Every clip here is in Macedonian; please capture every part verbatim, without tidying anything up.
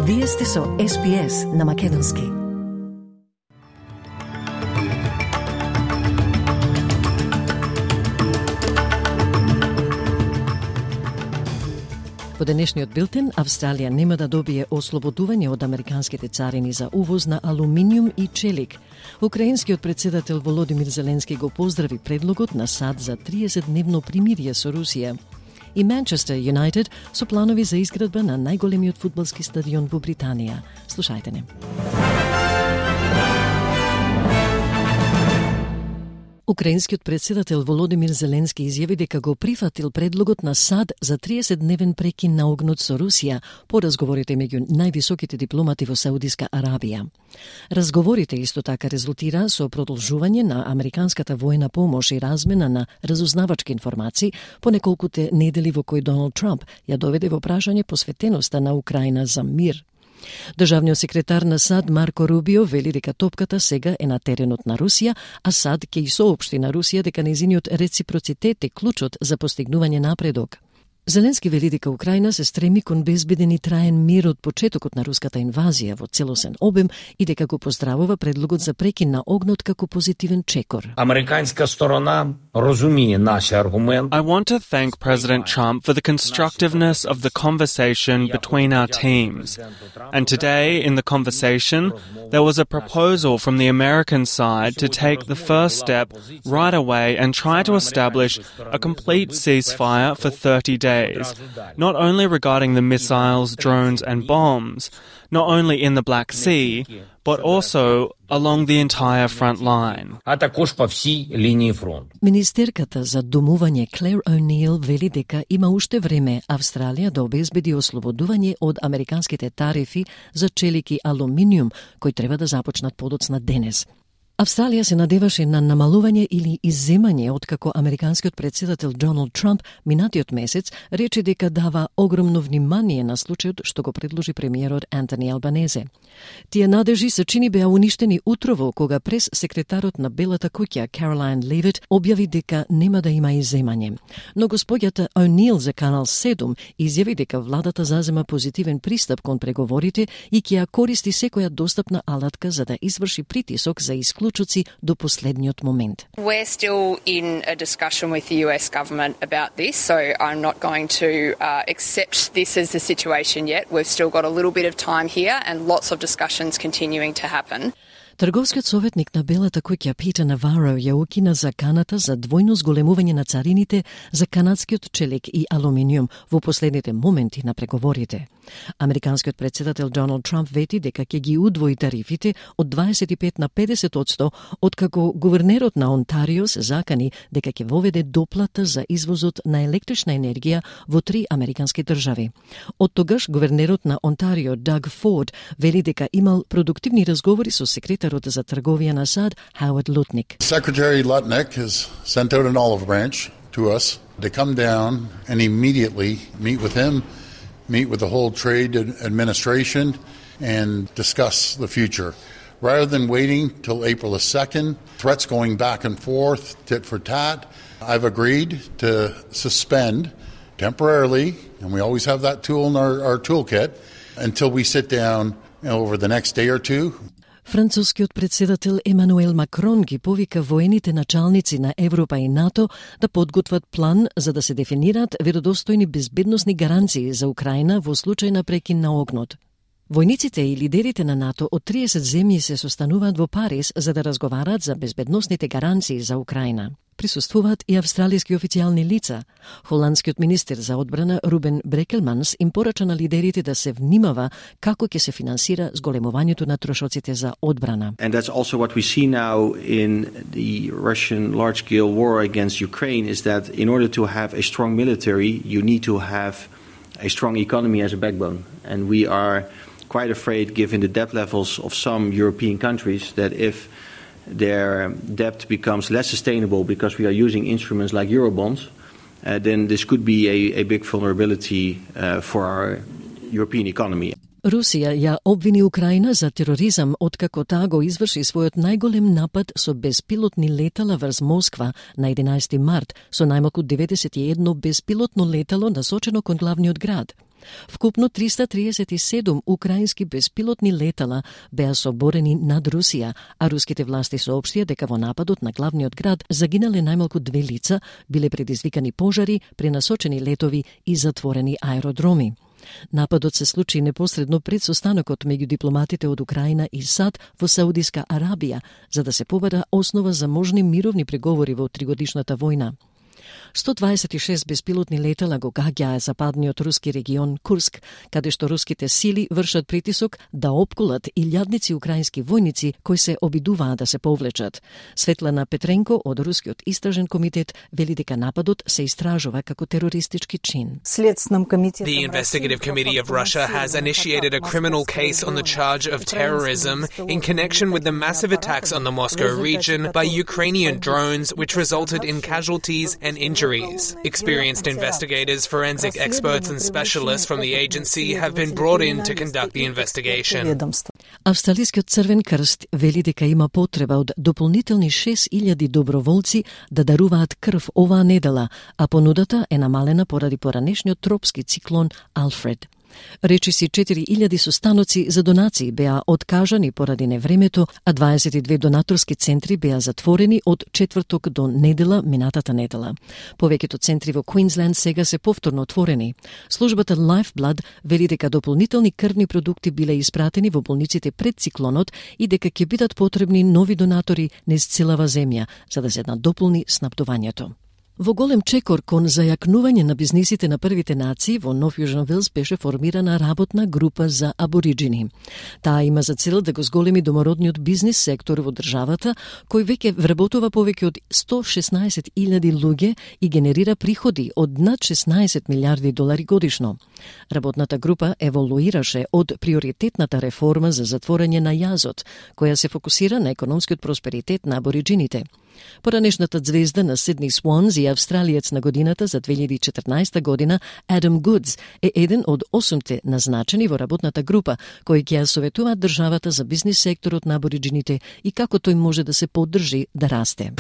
Вие сте со Ес Би Ес на Македонски. Во денешниот билтен, Австралија нема да добие ослободување од американските царини за увоз на алуминиум и челик. Украинскиот председател Володимир Зеленски го поздрави предлогот на САД за триесетдневно примирие со Русија. И Манчестер Юнайтед со планови за изградба на најголемиот фудбалски стадион во Британија. Слушајте не. Украинскиот председател Володимир Зеленски изјави дека го прифатил предлогот на САД за триесетдневен прекин на огнот со Русија по разговорите меѓу највисоките дипломати во Саудиска Арабија. Разговорите исто така резултира со продолжување на американската војна помош и размена на разузнавачки информации по неколкуте недели во кои Доналд Трамп ја доведе во прашање посветеноста на Украина за мир. Државниот секретар на САД Марко Рубио вели дека топката сега е на теренот на Русија, а САД ќе и соопшти на Русија дека нејзиниот реципроцитет е клучот за постигнување напредок. Зеленски вели дека Украина се стреми кон безбеден и траен мир од почетокот на руската инвазија во целосен обем и дека го поздравува предлогот за прекин на огнот како позитивен чекор. Американска сторона разумее наши аргументи. I want to thank President Trump for the constructiveness of the conversation between our teams. And today in the conversation, there was a proposal from the American side to take the first step right away and try to establish a complete ceasefire for thirty days. Not only regarding the missiles, drones and bombs, not only in the Black Sea, but also along the entire front line. Министерката за домување Клер О'Нил вели дека има уште време Австралија да обезбеди ослободување од американските тарифи за челик и алуминиум, кои треба да започнат подоцна денес. Австралија се надеваше на намалување или изземање откако американскиот председател Доналд Трамп минатиот месец рече дека дава огромно внимание на случајот што го предложи премиерот Антони Албанезе. Тие надежи се чини беа уништени утрово кога прес секретарот на Белата куќа Каролайн Левит објави дека нема да има изземање. Но господјата О'Нил за Канал седум изјави дека владата зазема позитивен пристап кон преговорите и ќе ја користи секоја достапна алатка за да изврши притисок за исклучоци до последниот момент. We're still in a discussion with the U S government about this, so I'm not going to uh, accept this as the situation yet. We've still got a little bit of time here and lots of discussions continuing to happen. Трговскиот советник на Белата куќа Питер Наваро ја укина заканата за двојно зголемување на царините за канадскиот челик и алуминиум во последните моменти на преговорите. Американскиот председател Доналд Трамп вети дека ќе ги удвои тарифите од дваесет и пет на педесет одсто, откако гувернерот на Онтарио се закани дека ќе воведе доплата за извозот на електрична енергија во три американски држави. Од тогаш гувернерот на Онтарио Даг Форд вели дека имал продуктивни разговори со секретар за трговија на САД Хауард Лутник. Secretary Lutnick has sent out an olive branch to us to come down and immediately meet with him, meet with the whole trade administration and discuss the future. Rather than waiting till April the second, threats going back and forth, tit for tat, I've agreed to suspend temporarily, and we always have that tool in our, our toolkit, until we sit down you know, over the next day or two. Францускиот председател Емануел Макрон ги повика воените началници на Европа и НАТО да подготват план за да се дефинираат веродостојни безбедносни гаранции за Украина во случај на прекин на огнот. Војниците и лидерите на НАТО од триесет земји се состануваат во Париз за да разговараат за безбедносните гаранции за Украина. Присуствуваат и австралиски официјални лица. Холандскиот министер за одбрана Рубен Брекелманс им порача на лидерите да се внимава како ќе се финансира зголемувањето на трошоците за одбрана. And that's also what we see now in the Russian large-scale war against Ukraine is that in order to have a strong military, you need to have a strong economy as a backbone. And we are quite afraid, given the debt levels of some European countries, that if their debt becomes less sustainable because we are using instruments like Eurobonds, uh, then this could be a, a big vulnerability uh, for our European economy. Русија ја обвини Украина за тероризам откако таа го изврши својот најголем напад со безпилотни летала врз Москва на единаесети март со најмалку деветдесет и едно безпилотно летало насочено кон главниот град. Вкупно триста триесет и седум украински беспилотни летала беа соборени над Русија, а руските власти соопштија дека во нападот на главниот град загинале најмалку две лица, биле предизвикани пожари, пренасочени летови и затворени аеродроми. Нападот се случи непосредно пред состанокот меѓу дипломатите од Украина и САД во Саудиска Арабија, за да се побара основа за можни мировни преговори во тригодишната војна. сто дваесет и шест беспилотни летала го гаѓаа западниот руски регион Курск, каде што руските сили вршат притисок да опколат илјадници украински војници кои се обидуваа да се повлечат. Светлана Петренко од Рускиот истражен комитет вели дека нападот се истражува како терористички чин. The Investigative Committee of Russia has initiated a criminal case on the charge of terrorism in connection with the massive attacks on the Moscow region by Ukrainian drones, which resulted in casualties and injuries. Experienced investigators, forensic experts and specialists from the agency have been brought in to conduct the investigation. Австралискиот Црвен крст вели дека има потреба од дополнителни шест илјади доброволци да даруваат крв оваа недела, а понудата е намалена поради поранешниот тропски циклон Алфред. Речиси четири илјади состаноци за донации беа откажани поради невремето, а дваесет и две донаторски центри беа затворени од четврток до недела минатата недела. Повеќето центри во Квинсленд сега се повторно отворени. Службата Lifeblood вели дека дополнителни крвни продукти биле испратени во болниците пред циклонот и дека ќе бидат потребни нови донатори низ целава земја за да се надополни снабдувањето. Во голем чекор кон зајакнување на бизнисите на првите нации во Нов Јужен Велс беше формирана работна група за абориджини. Таа има за цел да го зголеми домородниот бизнис сектор во државата, кој веќе вработува повеќе од сто шеснаесет илјади луѓе и генерира приходи од над шеснаесет милиарди долари годишно. Работната група еволуираше од приоритетната реформа за затворање на јазот, која се фокусира на економскиот просперитет на абориджините. Поранешната звезда на Сидни Свонс и австралиец на годината за две илјади и четрнаесета година, Адам Гудс, е еден од осумте назначени во работната група, кои ќе ја советуваат државата за бизнис секторот на абориджините и како тој може да се поддржи да расте.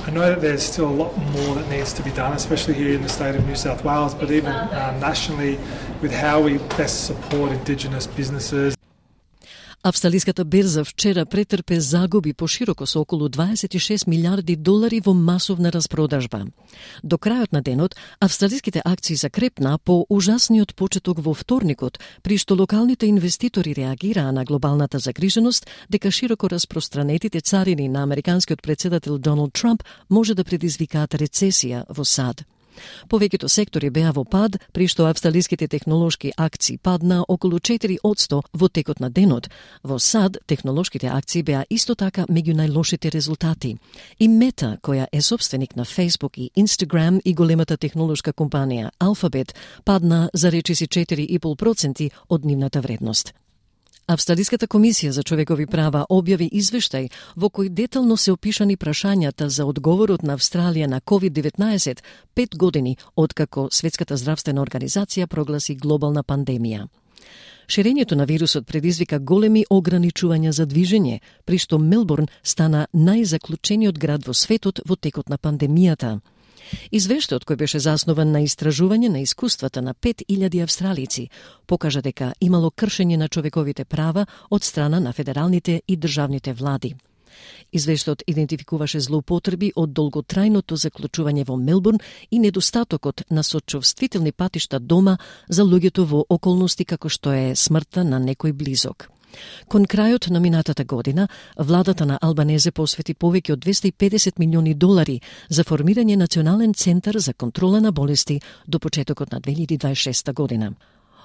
I know that there's still a lot more that needs to be done, especially here in the state of New South Wales, but even uh, nationally with how we best support Indigenous businesses. Австралиската берза вчера претрпе загуби пошироко со околу дваесет и шест милиарди долари во масовна распродажба. До крајот на денот, австралиските акции закрепна по ужасниот почеток во вторникот, при што локалните инвеститори реагираа на глобалната загриженост дека широко распространетите царини на американскиот председател Доналд Трамп може да предизвикаат рецесија во САД. Повеќето сектори беа во пад, при што австралиските технолошки акции падна околу четири одсто во текот на денот. Во САД технолошките акции беа исто така меѓу најлошите резултати. И Мета, која е собственик на Facebook и Instagram и големата технолошка компанија Alphabet, падна за речиси четири и пет проценти од нивната вредност. Австралиската комисија за човекови права објави извештај во кој детално се опишани прашањата за одговорот на Австралија на ковид деветнаесет пет години откако Светската здравствена организација прогласи глобална пандемија. Ширењето на вирусот предизвика големи ограничувања за движење, при што Мелбурн стана најзаклучениот град во светот во текот на пандемијата. Извештајот, кој беше заснован на истражување на искуствата на пет илјади австралици, покажа дека имало кршење на човековите права од страна на федералните и државните влади. Извештајот идентификуваше злоупотреби од долготрајното заклучување во Мелбурн и недостатокот на сочувствителни патишта дома за луѓето во околности како што е смртта на некој близок. Кон крајот на минатата година, владата на Албанезе посвети повеќе од двесте и педесет милиони долари за формирање национален центар за контрола на болести до почетокот на две илјади дваесет и шеста година.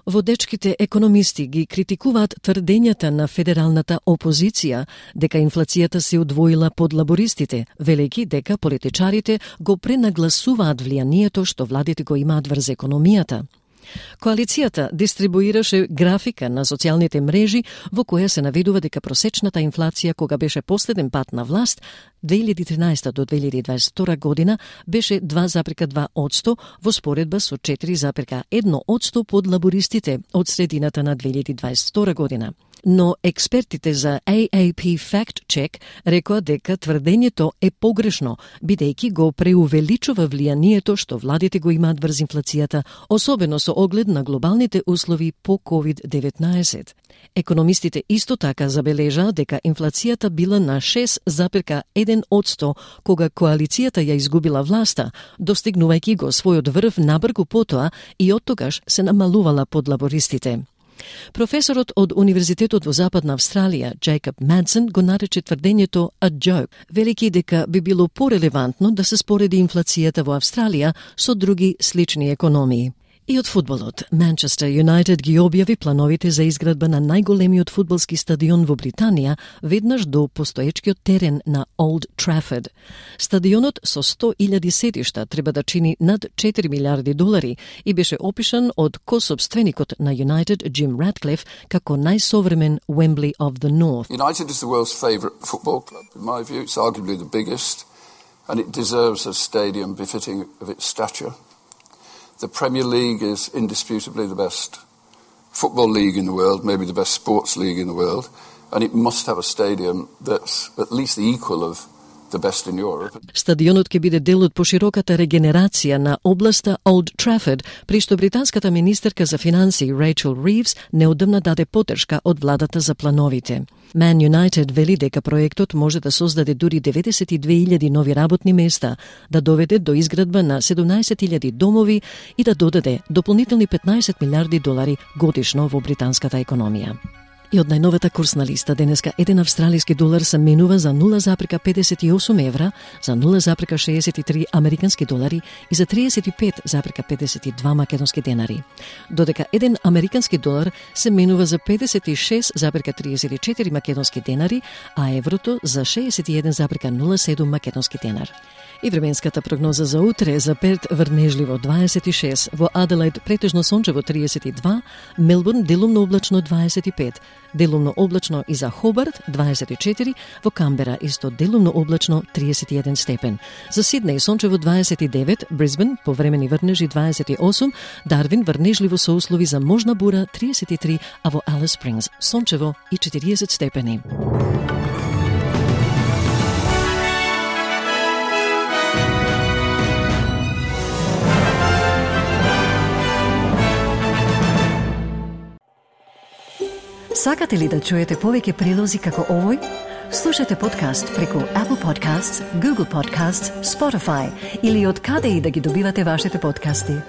Водечките економисти ги критикуваат тврдењата на федералната опозиција дека инфлацијата се удвоила под лабористите, велејќи дека политичарите го пренагласуваат влијанието што владите го имаат врз економијата. Коалицијата дистрибуираше графика на социјалните мрежи во која се наведува дека просечната инфлација кога беше последен пат на власт две илјади и тринаесета до две илјади и дваесет и втора година беше два зарез и две одсто во споредба со четири зарез и едно одсто под лабористите од средината на две илјади и дваесет и втора година. Но експертите за A A P Fact Check рекоа дека тврдењето е погрешно, бидејќи го преувеличува влијанието што владите го имаат врз инфлацијата, особено со оглед на глобалните услови по ковид деветнаесет. Економистите исто така забележаа дека инфлацијата била на шест запирка еден одсто кога коалицијата ја изгубила власта, достигнувајќи го својот врв набргу потоа и оттогаш се намалувала под лабористите. Професорот од Универзитетот во Западна Австралија, Джейкоб Мадсен, го нарече тврдењето a joke, велики дека би било порелевантно да се спореди инфлацијата во Австралија со други слични економии. И од фудбалот, Манчестер Юнайтед ги објави плановите за изградба на најголемиот фудбалски стадион во Британија, веднаш до постоечкиот терен на Олд Трафорд. Стадионот со сто илјади седишта треба да чини над четири милиарди долари и беше опишан од кособственикот на Юнайтед, Джим Ратклиф, како најсовремен Wembley of the North. United is the world's favourite football club. In my view, it's arguably the biggest, and it deserves a stadium befitting of its stature. The Premier League is indisputably the best football league in the world, maybe the best sports league in the world, and it must have a stadium that's at least the equal of the best in Europe. Стадионот ќе биде дел од пошироката регенерација на областа Олд Трафорд, при што британската министерка за финансии Рейчел Ривз неодамна даде поддршка од владата за плановите. Man United вели дека проектот може да создаде дури деветдесет и две илјади нови работни места, да доведе до изградба на седумнаесет илјади домови и да додаде дополнителни петнаесет милиарди долари годишно во британската економија. И од најновата курсна листа денеска еден австралиски долар се менува за нула запирка педесет и осум евра, за нула запирка шеесет и три американски долари и за триесет и пет запирка педесет и два македонски денари. Додека еден американски долар се менува за педесет и шест запирка триесет и четири македонски денари, а еврото за шеесет и еден запирка нула седум македонски денар. И временската прогноза за утре: за Перт врнежливо дваесет и шест, во Аделаид претежно сончево триесет и два, Мелбурн делумно облачно дваесет и пет, делумно облачно и за Хобарт дваесет и четири, во Камбера исто делумно облачно триесет и еден степен. За Сиднеј сончево дваесет и девет, Брисбен повремени врнежи дваесет и осум, Дарвин врнежливо со услови за можна бура триесет и три, а во Алис Спрингс сончево и четириесет степени. Сакате ли да чуете повеќе прилози како овој? Слушате подкаст преку Apple Podcasts, Google Podcasts, Spotify или од каде и да ги добивате вашите подкасти.